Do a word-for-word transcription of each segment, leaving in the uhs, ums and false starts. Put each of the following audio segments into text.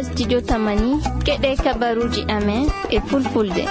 Studio Tamani, keɗe kabaruji amen e fulfulde.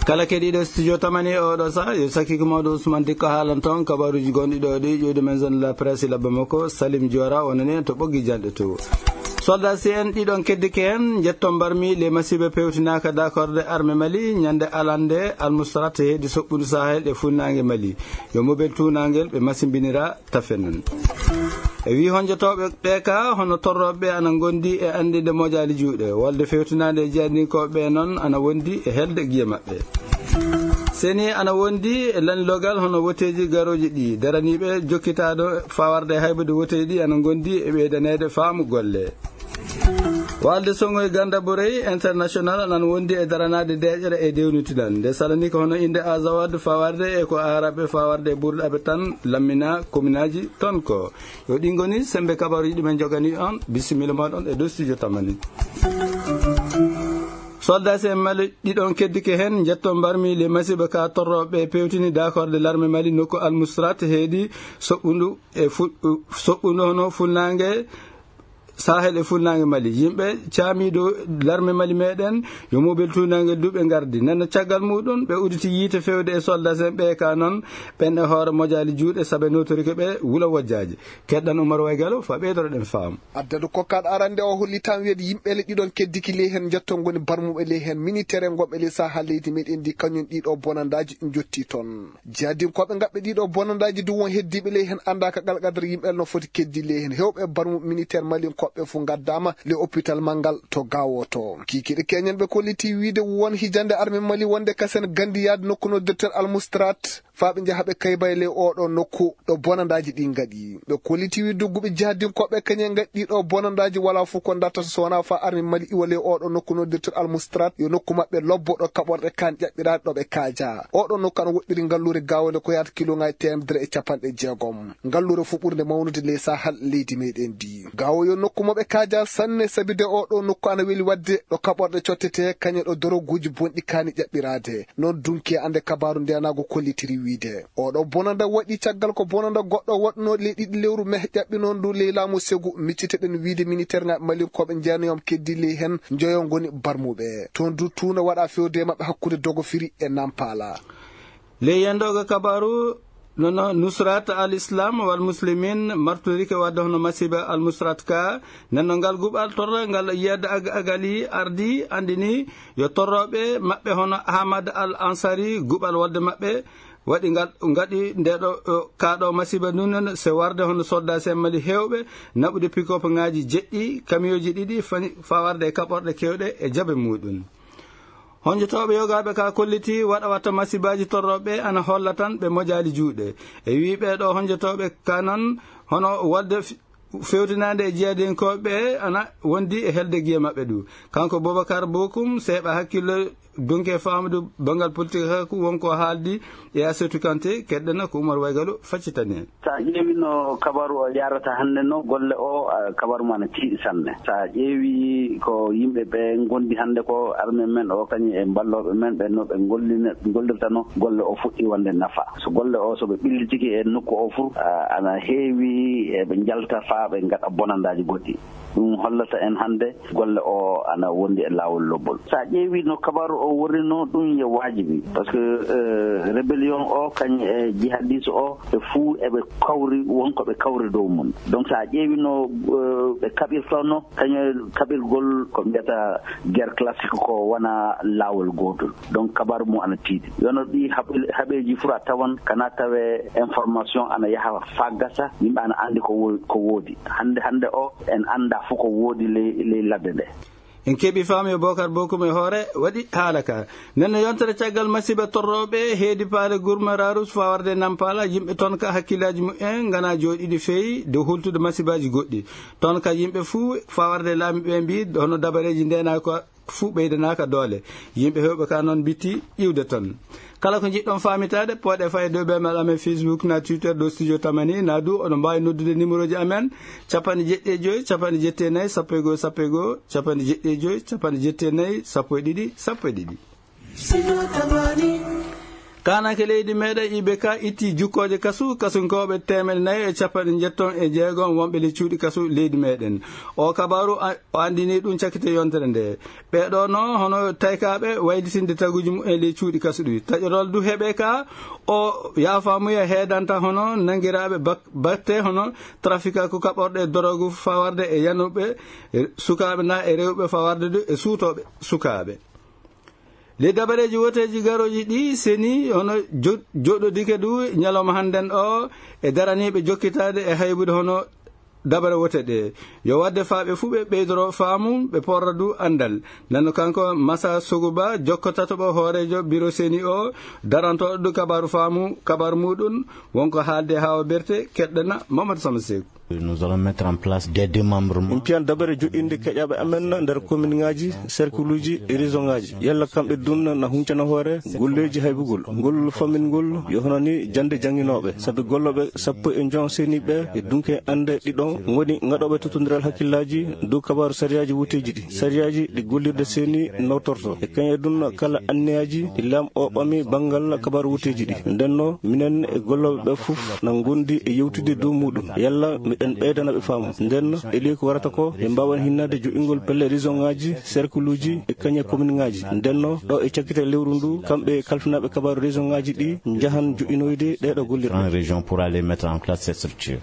Kala keɗiɗo Studio Tamani e oɗo sa, yo sakki ko mawɗo Ousmane Dikko haalan toon kabaruji gonɗi ɗo ɗi, ƴuwde men zone la presse labba makko, Salim Diora, wonani en to ɓoggi janɗe to. Soldat si en ɗiɗon keddike heen, njetton mbarmi le masiiba pewtinaaka dakorde arme Mali, ñande alande almusrat heedi soɓɓundu Sahel e funnaange Mali. Yo mobel tuunangel ɓe masimbinira tafe noon. E wi honjotooɓe ɓe ka, hono torrooɓe ɓe ana ngondi e anndinde mojaali juuɗe. Wolde fewtinaande e jeyaninkooɓe ɓe noon ana wondi e helde giye maɓɓe. Seni ana wondi e lanlogal hono woteeji garooji ɗi. Daraniiɓe jokkitaaɗo fawarde haybude woteeji ɗi ana ngondi e ɓeydaneede faamu golle. Walde Songo e Ganda Borey International anan wondi e daranaade deeƴere e dewnitiɗan. Nde salani ko hono innde Azawad fawarde e ko Aaraɓe fawarde e burɗaɓe tan lammina kominaaji ton ko. Yo ɗi ngoni sembe kabaruji ɗi men jogani on. Bisimilla moɗon e dow studio Tamani. Soldat en Mali ɗiɗon keddike heen, njetto mbarmi le masiiba ka torrooɓe pewtini dakorde larme Mali nokku Almusrat heedi soɓɓundu e fu-, soɓɓundu hono funnaange Sahel e funnaange Mali. Yimɓe caamiiɗo larme Mali meɗen, yo mobel tuunangel duuɓe ngardi. Nenno caggal muɗum, ɓe uditi yiite fewde e soldat en ɓe ka noon, ɓen e hoore mojaali juuɗe sabe notorike ɓe wula wojjaaji. Keɗɗan Umar Waygalo, fa ɓeydoreɗen faamu. Addadu kokkaɗo arande o holli tan wiyde yimɓe le ɗiɗon keddiki ley heen njetto ngoni barmuɓe ley heen militaire ngonɓe ley Sahel leydi meɗen ndi kañum ɗiɗo bonandaaji jotti toon. Jihadinkooɓe ngaɓɓe ɗiɗo bonandaaji du won heddiiɓe ley heen annda ka qalqadar yimɓe no foti keddi ley heen. Heewɓe barmuɓe militaire malinkooɓe fof ngaddaama le hôpital manngal to Gaawo to. Kiikiiɗe keñen ɓe kolliti wiyde won hijande arme Mali wonde kasen gandi yaade nokku no docteur Almustrat faa ɓe njaha ɓe kayba e ley oɗo nokku ɗo bonandaaji ɗi ngaɗi. Ɓe kolliti wiyde dogguɓe jihadinkooɓe kañen ngaɗi ɗiɗo bonandaaji wala fof ko dartata so wonaa faa arme Mali iwa ley oɗo nokku no docteur Almustrat yo nokku maɓɓe lobbo ɗo kaɓorɗe kan ƴaɓɓiraade ɗo ɓe kaaja. Oɗo nokku ana woɗɗiri ngalluure Gaawo nde ko yaata kiloŋaaji teemedere e capanɗe jeegom. Ngalluure fof ɓurnde mawnude ley Sahel leydi meɗen ndi. Gaawo yo nokku mo ɓe kaaja sanne sabi de oɗo nokku ana weli waɗde ɗo kaɓorɗe cottete kañe ɗo doroguuji bonɗi kaani ƴaɓɓiraade. Noon dunki e ande kabaaru ndenaagu kollitiri wiyde. Oɗo bonanda waɗi caggal ko bonanda goɗɗo waɗno ley ɗiɗi lewru meh ƴaɓɓi noon ndu ley laamu segu micciteɗen wiyde militaire ŋaaɓe malinkooɓe njeenayoom keddi ley heen njoyo ngoni barmuɓe. Toon du tuuna waɗa fewde maɓɓe hakkunde Dogofiri e Nampala. Ley yendooga kabaaru, nono Nusrat al Islam wal Muslimin martorike wadde hono masiba al Musrat ka, nenno ngal guɓal torra ngal yiyadde ag-, agali ardi andini yo torroɓe maɓɓe hono Ahmad al Ansari guɓal wadde maɓɓe waɗi ngal, ngaɗi nde ɗo, o, ka ɗo masiba nun se warde hono soldat sen Mali hewɓe naɓude pick-up ngaji jeɗɗi, camion ji ɗiɗi fani, fa warde e kaɓorɗe kewɗe e jabe muɗum. Honjotooɓe yogaaɓe ka kolliti waɗa watta masibaaji torrooɓe ana holla tan ɓe mojaali juuɗe. E wii ɓee ɗoo honjotooɓe ka noon hono waɗde f-, fewtinaande e jiyadinkooɓe ɓe ana wondi e helde giye maɓɓe ɗu. Kanko Boubacar Bokum, seeɓa hakkillo dunke faamude banngal politik hakku wonko haaldi e Assetou Kanté, keɗɗena ko Oumar Waygalu faccitani en. So a ƴeewi no kabaru o yarata hannde no, golle o, a, kabaru ma na tiiɗi sanne. So a ƴeewi ko yimɓe ɓe ngondi hannde ko, armée men o kañum e mballooɓe men ɓe no ɓe ngollina-, ngollirta no, golle o fuɗɗi wonde nafa. So golle o, so ɓe ɓillitike e nokku o fur, a, ana heewi eɓe njalta faa ɓe ngaɗa bonandaaji goɗɗi. Ɗum hollata en hannde golle o ana wondi e laawol lobbol. So a ƴeewi no kabaru o worrino, ɗum yo waajibi. Parce que, euh, rébellion o, kañ e jihadis o, ɓe fuu eɓe kawri, won ko ɓe kawri dow mum. Donc, so a ƴeewi no, euh, ɓe kaɓirtono, kañ e kaɓirgol ko mbiyata guerre classique ko wona laawol gootol. Donc, kabaru mum ana tiiɗi. Yono ɗi haɓe-, haɓeeji fuu a tawan kana tawe information ana yaha faa gasa, yimɓe ana anndi ko wo-, ko woodi. Hannde, hannde o, en annda fof ko woodi ley, ley ladde nde. En keɓi faamu e Bokar Bokum e hoore waɗi haala ka. Nden no yontere caggal masiiba torrooɓe heedi paale Gurma Rarus faa warde Nampala, yimɓe toon ka hakkillaaji mumen ngana jooɗiiɗi feewi dow hultude masiibaaji goɗɗi. Toon ka yimɓe fuu faa warde laamiiɓe mbii hono dabareeji ndeenaaka fuu ɓeydanaaka doole. Yimɓe heewɓe ka noon mbitti iwde toon. Kala ko njiɗɗon faamitaade, pooɗe faa e dow email amen Facebook na Twitter dow Studio Tamani, na du oɗon mbaawi noddude numéro ji amen, capanɗe jeɗɗi e joy, capanɗe jeɗɗi e nayi, sappo e goo, sappo e goo, capanɗe jeɗɗi e joy, capanɗe jeɗɗi e nayi, sappo e ɗiɗi, sappo e ɗiɗi. Studio Tamani. Kaananke leydi meɗen I B K itti jukkooje kasu, kasunkooɓe teemedde nayi e capanɗe njetton e jeegom wonɓe ley cuuɗi kasu leydi meɗen. O kabaaru a-, o anndini ɗum cakkite yontere nde. Ɓeeɗo no hono taykaaɓe waylitinde taguuji mum e ley cuuɗi kasu ɗi. Taƴorol du heɓe ka o yaafaamuya heedanta hono nanngiraaɓe bak-, batte hono trafika ko kaɓorɗe dorogu fawarde e yanuɓe, e sukaaɓe na e rewɓe fawarde du e suutooɓe sukaaɓe. Ley dabareeji woteeji garooji ɗi seni hono jo-, joɗɗodike du ñalawma hannden o e daraniiɓe jokkitaade e haybude hono dabare wote ɗe. Yo waɗde faa ɓe fuu ɓe ɓeydoro faamu, ɓe porra du anndal. Nano kanko Masa Soguba, jokkotato ɓo hooreejo biro seni o, darantooɗo du kabaaru faamu, kabaaru muɗum, wonko haalde haa o berte, keɗɗana Mamadou Sama Seeku. Nous allons mettre en place des démembrements. Min piyan dabare joɗɗinde keƴaɓe amen nder kominŋaaji, serkuluuji e région ŋaaji. Yalla kamɓe dun na huncana hoore golleeji haybugol. Ngol fammin ngol yo honani jannde jannginooɓe. Sabi gollooɓe sappo e njoy seniiɓe e dunke annde ɗiɗon ngoni ngaɗooɓe tottondiral hakkillaaji dow kabaaru sariyaaji wuteeji ɗi. Sariyaaji ɗi gollirde seni nawtorto. E kañe dun kala anniyaaji ɗi laam o ɓami banngal kabaaru wuteeji ɗi. Ndenno minen e gollooɓe ɓe fof na ngondi e yewtude dow muɗum. Yalla miɗen ɓeydana ɓe faamu. Ndenno e ley ko warata ko, ɓe mbaawan hinnaade joɗɗingol pelle région ŋaaji, cercle uji e kañe commune ŋaaji. Ndenno ɗo e cakkite lewru ndu, kamɓe kalfinaaɓe kabaaru région ŋaaji ɗi njahan joɗɗinoyde ɗeeɗo gollirɗe. En région pour aller mettre en place ces structures.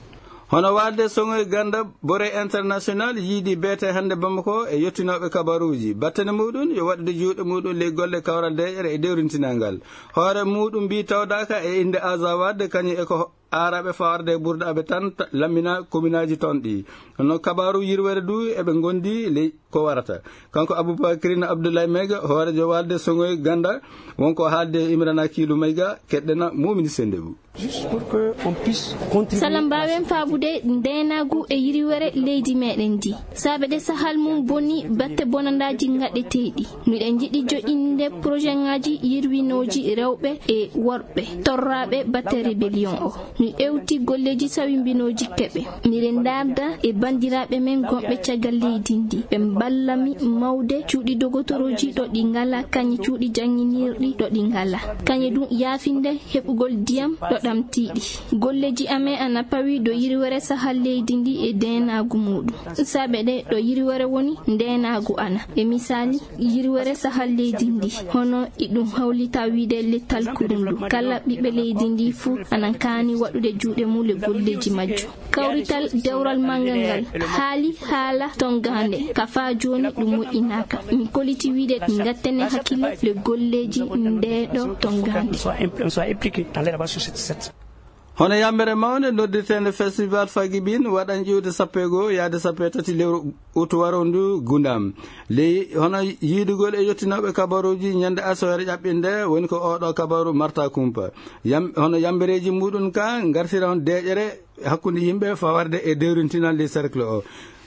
Hono waalde Soŋoy Ganda Bore International yiidi beete hannde Bamako e yottinooɓe kabaruuji. Battane muɗum yo waɗude juuɗe muɗum ley golle kawral deeƴere e dewrintinal ngal. Hoore muɗum mbi tawdaaka e innde Aza Wade kañum e ko aaraɓe fawarde e ɓurdaaɓe tan ta-, lammina kominaaji toon ɗi. Hono kabaaru yirwere du eɓe ngondi ley ko warata. Kanko Aboubacrine Abdoulaye Maïga, hooreejo waalde Soŋoy Ganda, wonko haalde e Imrana Kiilu Maïga, keɗɗena Mumini Sendebou. Juste pour que on puisse contribuer. Sala mbaawen faabude ndeenaagu e yiriwere leydi meɗen ndi. Saabe ɗe sahal mum boni batte bonandaaji ngaɗeteeɗi. Miɗen njiɗi joƴƴinde projet ŋaaji yirwinooji rewɓe e worɓe torraaɓe batte rébellion o. Mi ewti golleeji sawimbinooji keɓe. Miɗen ndaarda e banndiraaɓe men gonɓe caggal leydi ndi. Ɓe mballa mi mawde cuuɗi dogotorooji ɗo ɗi ngala, kañe cuuɗi jannginirɗi ɗo ɗi ngala. Kañe ɗum yaafinde heɓugol ndiyam ɗo ɗamtiiɗi. Golleeji amen ana pawi ɗo yiriwere sahal leydi ndi e ndeenaagu muɗum. Saabe ɗe ɗo yiriwere woni ndeenaagu ana. E misaali, yiriwere sahal leydi ndi, hono iɗum hawlita wiide lettal kurundu. Kala ɓiɓɓe leydi ndi fuu ana kaani waɗude juuɗe mum e golleeji majjum. Kawrital dewral manngal ngal haali haala tongaande, ka faa jooni ɗum moƴƴinaaka. Min koliti wiide ngattene hakkille le golleeji ndeeɗo tongaande. Hono yambere mawnde noddirteende Festival Fagibin waɗan ƴiwde sappo e goo yaade sappo e tati lewru utu warondu Gundam. Ley hono yiidugol e yottinooɓe kabaruuji ñande asoore ƴaɓɓinde woni ko oɗo kabaru marta kumpa. Yam-, hono yambereeji muɗum ka ngartira on deeƴere hakkunde yimɓe fawarde e dewrintinal ley cercle o.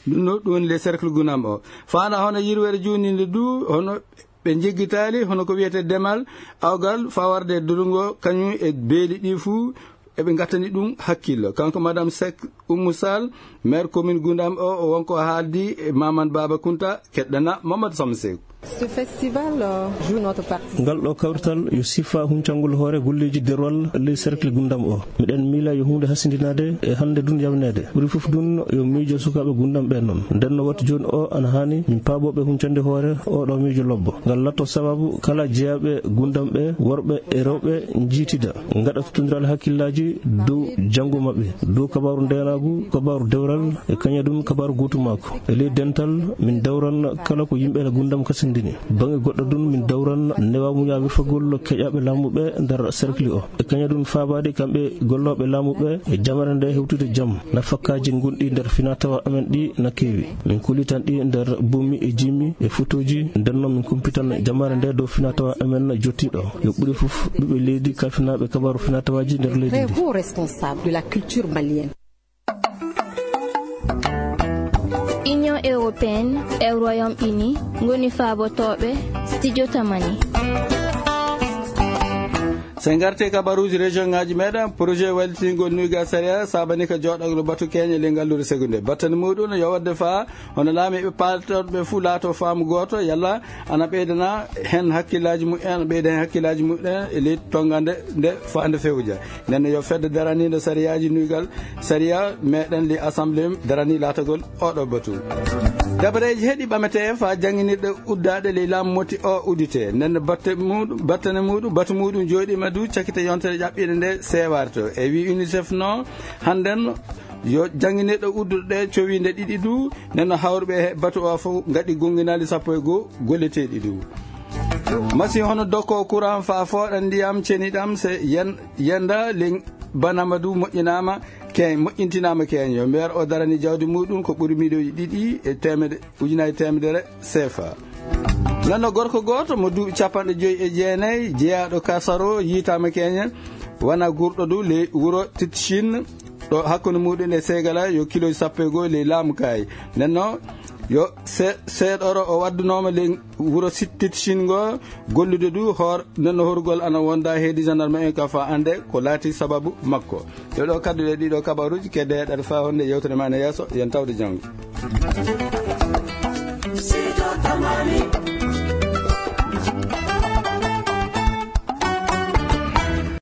Ɗum no, ɗum woni ley cercle Gundam o. Faanda hono yirwere juuninde du, hono ɓe njeggitaali, hono ko wiyete demal, awgal, fawarde durungo, kañum e beeli ɗi fuu, eɓe ngattani ɗum hakkillo. Kanko Madame Seck Oumou Sall, maire commune Gundam o, o wonko haaldi e Mamadou Baba Kounta, keɗɗana Mamadou Samsek. Ce festival, euh, joue notre partie. Ngal ɗo kawrital yo sifa huncangol hoore golleeji derwal ley cercle Gundam o. Miɗen miila yo huunde hasindinaade e hannde dun yawneede. Ɓuri fof dun yo miijo sukaaɓe Gundam ɓe noon. Nden no watti jooni o ana haani min paaboɓe huncande hoore o ɗo miijo lobbo. Ngal latto sababu kala jeyaaɓe Gundam ɓe, worɓe e rewɓe, njiitida, ngaɗa tottondiral hakkillaaji dow janngo maɓɓe, dow kabaaru ndeenaagu, kabaaru dewral, e kañadun kabaaru gootu maako. E ley dental, min dawran kala ko yimɓe Gundam kasindini. Baŋnge goɗɗo dun, min dawran newaamuya wirfagol keƴaaɓe laamu ɓe nder cercle o. E kañadun faabaade kamɓe gollooɓe laamu ɓe e jamare nde hewtude jam, nafakkaaji gonɗi nder finaa-tawaa amen ɗi na keewi. Min kulitan ɗi nder bummi e jimmi e fotooji, nden non min kumpitan jamare nde dow finaa-tawaa amen jottiiɗo. Yo ɓuri fof ɓiɓɓe leydi kalfinaaɓe kabaaru finaa-tawaaji nder leydi ndi. Très haut responsable de la culture malienne. Union européenne e Royaume-Uni ngoni faabotooɓe Studio Tamani. So en ngartii kabaruuji région ngaaji meɗen, projet wallitgol nuyga sariya saabani ka jooɗagol batu keñe ley ngalluure segunde. Battane muɗum yo waɗde faa hono laamiiɓe paaltorɓe fuu laato faamu gooto, yalla ana ɓeydana heen hakkillaaji mumen, ana ɓeyda heen hakkillaaji mumen e ley tonngande nde faa nde fewja. Nden yo fedde daraniinde sariyaaji nuygal sariya meɗen ley assemblée darani laatagol oɗo batu. Dabareeji heɗi ɓametee faa jannginirɗe uddaaɗe ley laamu moti o udditee. Nden batte muɗum, battane muɗum, batu muɗum jooɗiima du cakite yontere ƴaɓɓiinde nde seewaare to. E wi UNICEF no hannden yo jannginirɗe udduɗe cowiinde ɗiɗi du, nden no hawruɓe he batu o fof ngaɗi gonnginaali sappo e goo golleteeɗi du. Masi hono dokko courant faa fooɗa ndiyam ceniɗam se yen-, yenda ley banama du moƴƴinaama keeñ, moƴƴintinaama keeñ. Yo meer o darani jawdi muɗum ko ɓuri miliyoji ɗiɗi e teemedde, ujunaaji teemedere sefa. Nano gorko gooto mo duuɓi capanɗe joyi e jeenayi jeyaaɗo Kasaro yiitaama keeñe, wana gurɗo du ley wuro Titchin, ɗo hakkunde muɗum e Segala yo kiloji sappo e goo ley laamu kaay. Nenno yo se-, seeɗoro o waddunooma ley wuro Sit-, Titchin ngo gollude du hoor, nenno horugol ana wonda heedi gendarme en ka faa annde ko laati sababu makko. Yo ɗo kadduɗe ɗiɗo kabaruuji kedde heɗaɗe faa honde yewtere ma ne yeeso, yen tawde janngo.